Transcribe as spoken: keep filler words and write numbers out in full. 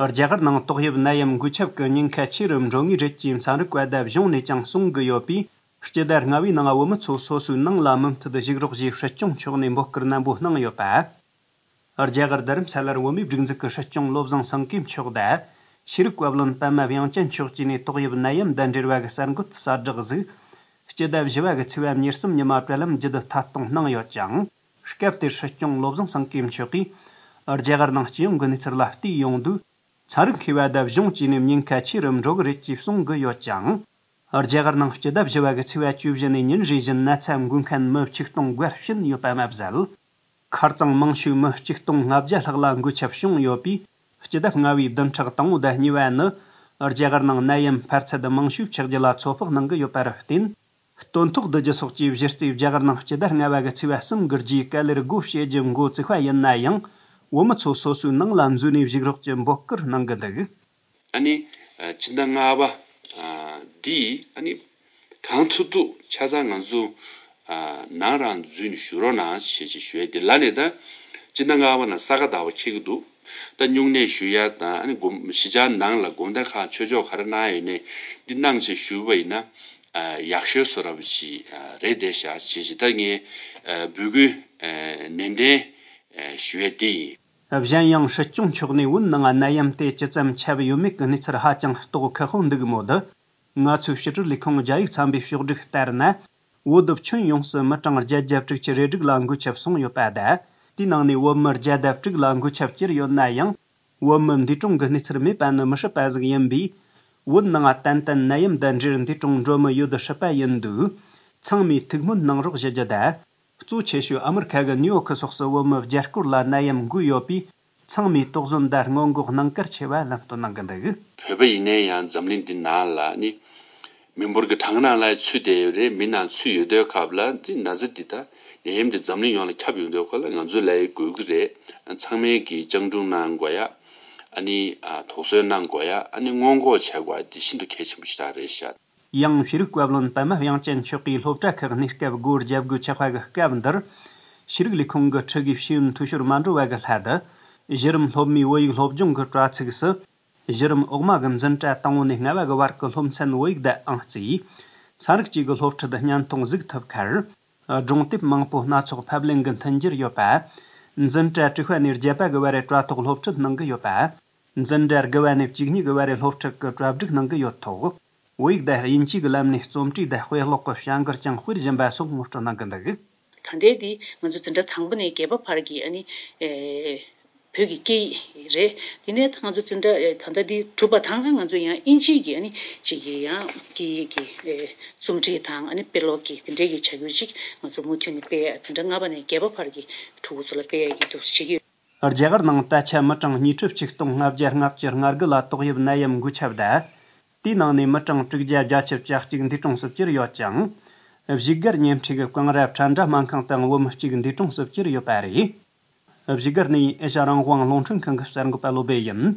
རྒྱ་གར་ནང་ཏོག་དབྱིབས་ནད་ཡམས་འགོས་ཁྱབ་ཀྱི་ཉེན་ཁ་ཆེ་རུ་འགྲོ་ངེས་རེད་ཅེས་ཚན་རིག་པ་དང་གཞུང་ནས་ཀྱང་གསུང་གི་ཡོད་པས། སྤྱི་ཟླ་ལྔ་པའི་ནང་བོད་མི་ཚོ་སོ་སོའི་ནང་ལ་མུ་མཐུད་བཞུགས་རོགས་ཞེས་སྲིད་སྐྱོང་མཆོག་ནས་འབོད་སྐུལ་ནན་པོ་གནང་ཡོད་པ། རྒྱ་གར་རྡ་རམ་ས་ལར་བོད་མིའི་སྒྲིག་འཛུགས་ཀྱི་སྲིད་སྐྱོང་བློ་བཟང་སེང་གེ་མཆོག་དང་། ཤེས་རིག་བཀའ་བློན་པད་མ་དབྱངས་ཅན་མཆོག་བཅས་ནས་ཏོག་དབྱིབས་ནད་ཡམས་དང་འབྲེལ་བ་གི་གསར་འགོད་གསལ་བསྒྲགས་གཟིགས། སྤྱི་ཟླ་བཞི་པ་གི་ཚེས་པ་ཉེར་གསུམ་ཉི་མ་དྲ་ལམ་བརྒྱུད་ཐད་གཏོང་གནང་ཡོད་ཅིང་། སྐབས་དེར་སྲིད་སྐྱོང་བློ་བཟང་སེང་གེ་མཆོག་གིས། རྒྱ་གར་ནང་སྤྱི་ཡོངས་ཀྱི་གནས་ཚུལ་ལ་བལྟས་ཡོང་དུས། ཚན་རིག་མཁས་པ་དང་གཞུང་བཅས་ནས་ཉེན་ཁ་ཆེ་རུ་འགྲོ་གི་རེད་ཅེས་གསུང་གི་ཡོད་ཅིང་། རྒྱ་གར་ནང་སྤྱི་ཟླ་བཞི་པ་གི་ཚེས་པ་བཅུ་བཞི་ནས་ཉིན་རེ་བཞིན་ན་ཚ་འགོས་མཁན་མི་ཆིག་སྟོང་བརྒལ་ཕྱིན་ཡོད་པ་མ་ཟད། ཁ་རྩང་མང་ཤོས་མི་ཆིག་སྟོང་ལྔ་བརྒྱ་ལྷག་ལ་འགོས་ཁྱབ་བྱུང་ཡོད་པས། སྤྱི་ཟླ་ལྔ་པའི་བདུན་ཕྲག་དང་པོ་དང་གཉིས་པ་ནི། རྒྱ་གར་ནང་ནད་ཡམས་འཕར་ཚད་མང་ཤོས་ཆགས་རྒྱུ་ལ་ཚོད་དཔག་གནང་གི་ཡོད་པར་བརྟེན། སྟོན་ཐོག་བསྡུ་རྒྱུ་སོགས་ཀྱི་གཞི་རྩའི་རྒྱ་གར་ནང་སྤྱི་ཟླ་ལྔ་པ་གི་ཚེས་པ་གསུམ་གྱི་རྗེས་ག་ལེར་སྒོ་ཕྱེ་རྒྱུ་འགོ་བཙུགས་པ་ཡིན་ན་ཡང་། བོད་མི་ཚོ་སོ་སོའི་ནང་ལ་འཛུལ་ནས་བཞུགས་རོགས་ཀྱི་འབོད་སྐུལ་གནང་གི་འདུག། ཨ་ནི། སྤྱི་ཟླ་ལྔ་པ། འདི། ཨ་ནི། གང་ཐུབ་ཐུབ་ཆ་ཚང་ང་ཚོ། ནང་རང་འཛུལ་ནས་བཞུགས་རོགས་གནང་ཞེས་ཞུ་ཡ་འདི་ལ་ནས་ད། སྤྱི་ཟླ་ལྔ་པ་ནང་ས་ག་ཟླ་བ་འཁེལ་གི་འདུག་ད་སྨྱུང་གནས་ཞུ་ཡ་དང་ཨ་ནི་དགོན་གཞིས་ཆགས་ནང་ལ་དགོང་དག་ཁག་ཆོས་ཕྱོགས་ག་རེ་གནང་ཡ་ཡོད་ནས་འདི་གནང་ཞེས་ཞུས་པ་ཡིན་ན། ཡག་ཤོས་བཟོ་འདྲ་པོ་ཞིག་རེད་བསྡད་ཤག་ཅེས་ཞིག་ད་ངས་འབོད་སྐུལ་ནན་ཏན་ཞུ་ཡ་དེ་ཡིན། གཞན་ཡང་སྲིད་སྐྱོང་མཆོག་ནས་བོད་ནང་ནད་ཡམས་དེ་ཇི་ཙམ་ཁྱབ་ཡོད་མེད་ཀྱི་གནས་ཚུལ་ཧ་ཅང་རྟོགས་ཁག་པོ་འདུག་མོད། ང་ཚོའི་ཕྱི་དྲིལ་ལས་ཁུངས་རྒྱ་ཡིག་ཚན་པས་ཕྱོགས་བསྒྲིགས་ལྟར་ན། བོད་དུ་ཁྱོན་ཡོངས་སུ་མི་གྲངས་བརྒྱད་བརྒྱ་དྲུག་ཅུ་རེ་དྲུག་ལ་འགོས་ཁྱབ་སོང་ཡོད་པ་དང་། དེའི་ནང་ནས་བོད་མི་བརྒྱ་དང་དྲུག་ལ་འགོས་ཁྱབ་གྱུར་ཡོད་ན་ཡང་། བོད་མི་འདས་གྲོངས་ཀྱི་གནས་ཚུལ་མེད་པ་ནི་མི་སྲིད་པ་ཟིག་ཡིན་པས། བོད་ནང་ཏན་ཏན་ནད་ཡམས་དང་འབྲེལ་འདས་གྲོངས་འགྲོ་མི་ཡོད་སྲིད་པ་ཡིན་དུས། ཚང་མས་ཐུགས་སྨོན་གནང་རོགས་ཞུ་རྒྱུ་དང་། གཙོ་ཆེ་ཤོས་ཨ་མི་རི་ཁ་གི་ནིའུ་ཡོག་ཁི་སོགས་སུ་བོད་མི་བརྒྱ་སྐོར་ལ་ནད་ཡམས་འགོས་ཡོད་པས། ཚང་མས་དོགས་ཟོན་དང་སྔོན་འགོག་གནང་གལ་ཆེ་བ་ལམ་སྟོན་གནང་གི་འདུག། བོད་པ་ཡིན་ནའི་ཡང་འཛམ་གླིང་འདི་ནང་ལ་ནི། མི་འབོར་གྱི་གྲངས་ནང་ལ་ཚུད་བསྡད་ཡོད་རེད། མི་ནང་ཚུད་ཡོད་དུས་སྐབས་ལ་འདི་ན་ཚ་འདི་ད་ནད་ཡམས་འདི་འཛམ་གླིང་ཡོངས་ལ་ཁྱབ་ཡོང་དུས་སྐོར་ལ་ང་ཚོས་ལབ་ཡ་དགོས་ཀྱི་རེད། ཚང་མས་ཀྱིས་སྤྱང་གྲུང་གནང་དགོས་ཡ། ཨ་ནི་དོགས་ཟོན་གནང་དགོས་ཡ། ཨ་ནི་སྔོན་འགོག་བྱེད་དགོས་ཡ་འདི་ཤིན་ཏུ་གལ་ཆེན་པོ་ཞིག་རང་རེད་ཤག། ཡང་ཤེས་རིག་བཀའ་བློན་པད་མ་དབྱངས་ཅན་མཆོག་གིས་སློབ་གྲྭ་ཁག་གནས་སྐབས་སྒོ་བརྒྱབ་དགོས་ཆགས་པ་གི་སྐབས་འདིར། ཤེས་རིག་ལས་ཁུངས་ཀྱི་ཁྲི་གིས་ཤེས་ཡོན་འཐུས་ཤོར་མ་འགྲོ་བ་གི་སླད་དུ། གཞི་རིམ་སློབ་མའི་བོད་ཡིག་སློབ་སྦྱོང་གི་དྲ་ཚིགས་སུ། གཞི་རིམ་འོག་མ་གི་འཛིན་གྲྭ་དང་པོ་ནས་ལྔ་པ་གི་བར་གྱི་སློབ་ཚན་བོད་ཡིག་དང་ཨང་རྩིས། ཚན་རིག་བཅས་ཀྱི་སློབ་ཁྲིད་བརྙན་ཐུང་གཟིགས་ཐུབ་ཁར། སྒྲུང་དེབ་མང་པོ་སྣ་ཚོགས་ཕབ་ལེན་གྱི་མཐུན་འགྱུར་ཡོད་པ། འཛིན་གྲྭ་དྲུག་པ་ནས་བརྒྱད་པ་གི་བར་རེ་དྲ་ཐོག་སློབ་ཁྲིད་གནང་གི་ཡོད་པ། འཛིན་གྲྭ་དགུ་པ་ནས་བཅུ་གཉིས་གི་བར་རེ་སློབ་ཁྲིད་ཀྱི་གྲ་སྒྲིག་གནང་གི་ཡོད་ཐོག། བོད་ཡིག་དང་དབྱིན་ཇི་གི་ལམ་ནས་རྩོམ་བྲིས་དང་དཔེ་ཀློག་གི་བྱ་འགུལ་ཀྱང་སྤེལ་བཞིན་པ་སོགས་ངོ་སྤྲོད་གནང་གི་འདུག། ད་ལྟའི་འདི་ང་ཚོ་འཛིན་གྲྭ་དང་པོ་ནས་བརྒྱད་པ་བར་གྱི་ཨ་ནི། བོད་ཀྱི་སྐད་ཡིག་རེད། དེ་ནས་ད་ང་ཚོ་འཛིན་གྲྭ་ད་ལྟ་འདི་གྲུབ་པ་དང་ང་ཚོ་ཡང་དབྱིན་ཇིའི་གི་ཨ་ནི་ཅིག་གི་ཡང་སྐད་ཡིག་གི་རྩོམ་བྲིས་དང་ཨ་ནི་དཔེ་ཀློག་གི་དེ་འདྲའི་གི་བྱ་འགུལ་ཅིག་ང་ཚོ་མུ་མཐུད་ནས་སྤེལ་ཡ་འཛིན་གྲྭ་ལྔ་པ་ནས་བརྒྱད་པ་བར་གྱི་ཕྲུ་གུ་ཚོ་ལ་སྤེལ་ཡ་གི་འདུག་བྱེད་ཀྱི་ཡོད། རྒྱ་གར་ནང་ད་ཆ་མི་གྲངས་ཉིས་ཁྲི་ཆིག་སྟོང་ལྔ་བརྒྱ་ལྔ་བཅུ་ང་དགུ་ལ་ཏོག་དབྱིབས་ནད་ཡམས་འགོས་ཁྱབ་དང་། དེའི་ནང་ནས་མི་གྲངས་དྲུག་བརྒྱ་བརྒྱད་ཅུ་གྱ་གཅིག་འདས་གྲོངས་སུ་གྱུར་ཡོད་ཅིང་། བཞུགས་སྒར་ཉེ་འཁྲིས་ཀྱི་ཀང་ར་ཁྲ་འདྲ་སྨན་ཁང་དུའང་བོད་མི་གཅིག་འདས་གྲོངས་སུ་གྱུར་ཡོད་པ་རེད། བཞུགས་སྒར་ནས་ཨེ་ཤ་རང་དབང་རླུང་འཕྲིན་ཁང་གི་གསར་འགོད་པ་བློ་སྦེ་ཡིན།